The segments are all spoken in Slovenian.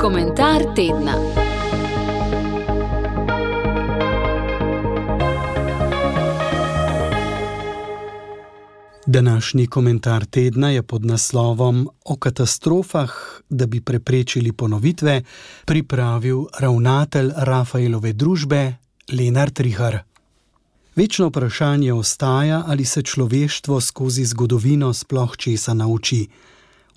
Komentar tedna. Današnji komentar tedna je pod naslovom O katastrofah, da bi preprečili ponovitve, pripravil ravnatelj Rafaelove družbe Lenart Rihar. Večno vprašanje ostaja, ali se človeštvo skozi zgodovino sploh česa nauči.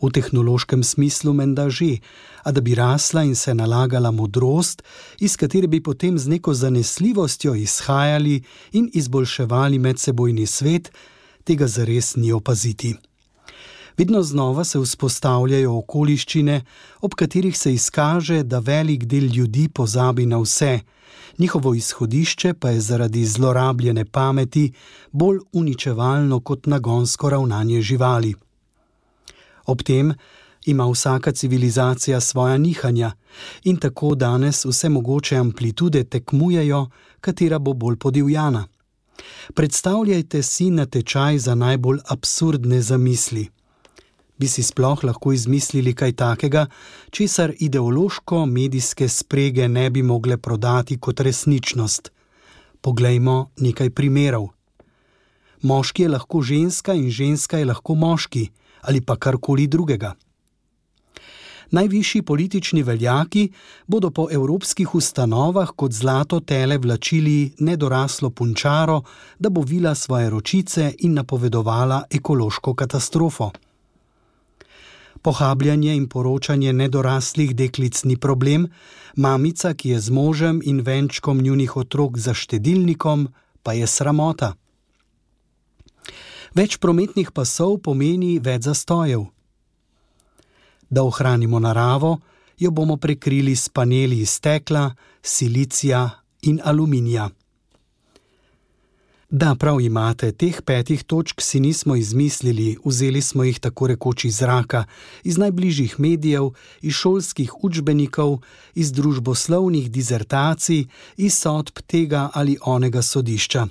V tehnološkem smislu menda že, a da bi rasla in se nalagala modrost, iz katere bi potem z neko zanesljivostjo izhajali in izboljševali medsebojni svet, tega zares ni opaziti. Vedno znova se vzpostavljajo okoliščine, ob katerih se izkaže, da velik del ljudi pozabi na vse, njihovo izhodišče pa je zaradi zlorabljene pameti bolj uničevalno kot nagonsko ravnanje živali. Ob tem ima vsaka civilizacija svoja nihanja in tako danes vse mogoče amplitude tekmujejo, katera bo bolj podivjana. Predstavljajte si natečaj za najbolj absurdne zamisli. Bi si sploh lahko izmislili kaj takega, česar ideološko-medijske sprege ne bi mogle prodati kot resničnost? Poglejmo nekaj primerov. Moški je lahko ženska in ženska je lahko moški, ali pa karkoli drugega. Najvišji politični veljaki bodo po evropskih ustanovah kot zlato tele vlačili nedoraslo punčaro, da bo vila svoje ročice in napovedovala ekološko katastrofo. Pohabljanje in poročanje nedoraslih deklic ni problem, mamica, ki je z možem in venčkom njunih otrok za štedilnikom, pa je sramota. Več prometnih pasov pomeni več zastojev. Da ohranimo naravo, jo bomo prekrili s paneli iz stekla, silicija in aluminija. Da, prav imate, teh 5 točk si nismo izmislili, vzeli smo jih tako rekoč iz zraka, iz najbližjih medijev, iz šolskih učbenikov, iz družboslovnih dizertacij, iz sodb tega ali onega sodišča.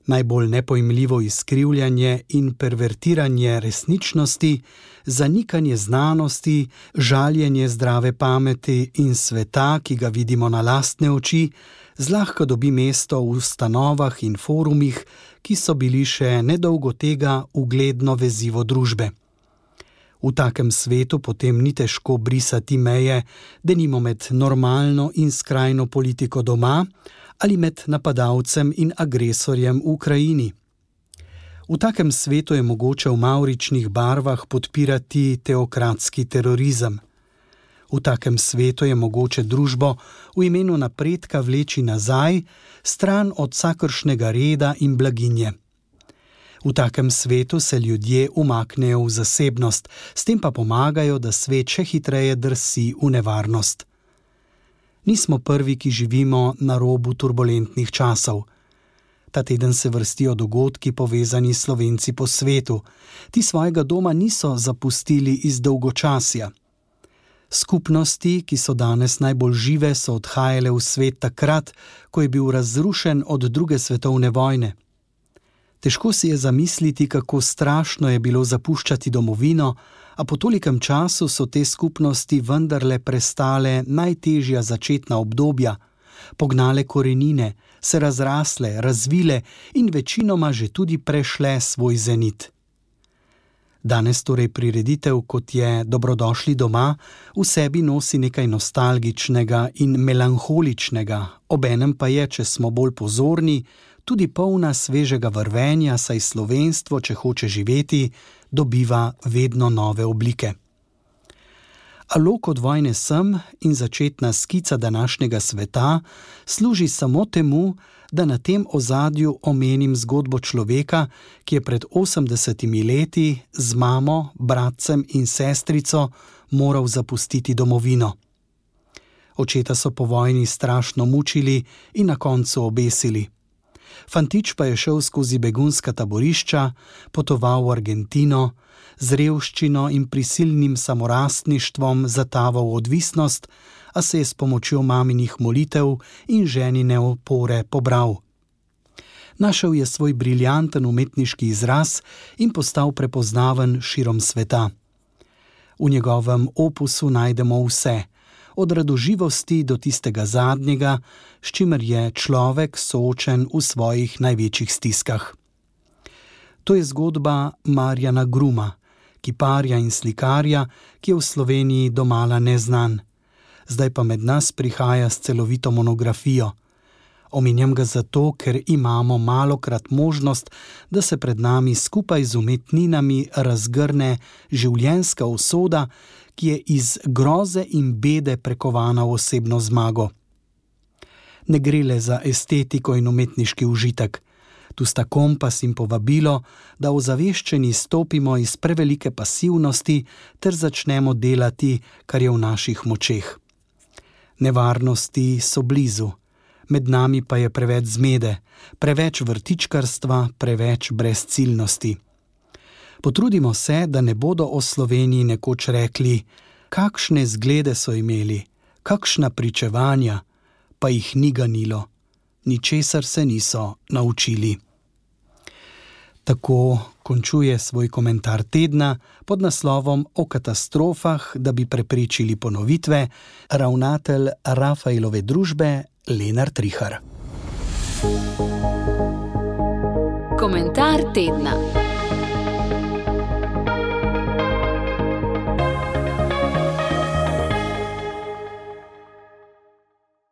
Najbolj nepojmljivo izkrivljanje in pervertiranje resničnosti, zanikanje znanosti, žaljenje zdrave pameti in sveta, ki ga vidimo na lastne oči, zlahka dobi mesto v ustanovah in forumih, ki so bili še nedolgo tega ugledno vezivo družbe. V takem svetu potem ni težko brisati meje, denimo med normalno in skrajno politiko doma, ali med napadalcem in agresorjem v Ukrajini. V takem svetu je mogoče v mavričnih barvah podpirati teokratski terorizem. V takem svetu je mogoče družbo v imenu napredka vleči nazaj, stran od vsakršnega reda in blaginje. V takem svetu se ljudje umaknejo v zasebnost, s tem pa pomagajo, da svet še hitreje drsi v nevarnost. Nismo prvi, ki živimo na robu turbulentnih časov. Ta teden se vrstijo dogodki povezani s Slovenci po svetu. Ti svojega doma niso zapustili iz dolgočasja. Skupnosti, ki so danes najbolj žive, so odhajale v svet takrat, ko je bil razrušen od 2. svetovne vojne. Težko si je zamisliti, kako strašno je bilo zapuščati domovino, a po tolikem času so te skupnosti vendarle prestale najtežja začetna obdobja, pognale korenine, se razrasle, razvile in večinoma že tudi prešle svoj zenit. Danes torej prireditev, kot je Dobrodošli doma, v sebi nosi nekaj nostalgičnega in melanholičnega, obenem pa je, če smo bolj pozorni, tudi polna svežega vrvenja, saj slovenstvo, če hoče živeti, dobiva vedno nove oblike. A lok od vojne sem in začetna skica današnjega sveta služi samo temu, da na tem ozadju omenim zgodbo človeka, ki je pred 80 leti z mamo, bratcem in sestrico moral zapustiti domovino. Očeta so po vojni strašno mučili in na koncu obesili. Fantič pa je šel skozi begunska taborišča, potoval v Argentino, z revščino in prisilnim samorastništvom zataval v odvisnost, a se je s pomočjo maminih molitev in ženine opore pobral. Našel je svoj briljanten umetniški izraz in postal prepoznaven širom sveta. V njegovem opusu najdemo vse, od radoživosti do tistega zadnjega, s čimer je človek soočen v svojih največjih stiskah. To je zgodba Marjana Gruma, kiparja in slikarja, ki je v Sloveniji domala neznan. Zdaj pa med nas prihaja s celovito monografijo. Omenjam ga zato, ker imamo malokrat možnost, da se pred nami skupaj z umetninami razgrne življenjska usoda, ki je iz groze in bede prekovana v osebno zmago. Ne gre le za estetiko in umetniški užitek. Tu sta kompas in povabilo, da ozaveščeni stopimo iz prevelike pasivnosti ter začnemo delati, kar je v naših močeh. Nevarnosti so blizu. Med nami pa je preveč zmede, preveč vrtičkarstva, preveč brezciljnosti. Potrudimo se, da ne bodo o Sloveniji nekoč rekli, kakšne zglede so imeli, kakšna pričevanja, pa jih ni ganilo, ničesar se niso naučili. Tako končuje svoj komentar tedna pod naslovom O katastrofah, da bi preprečili ponovitve, ravnatelj Rafaelove družbe Lenart Rihar. Komentar tedna.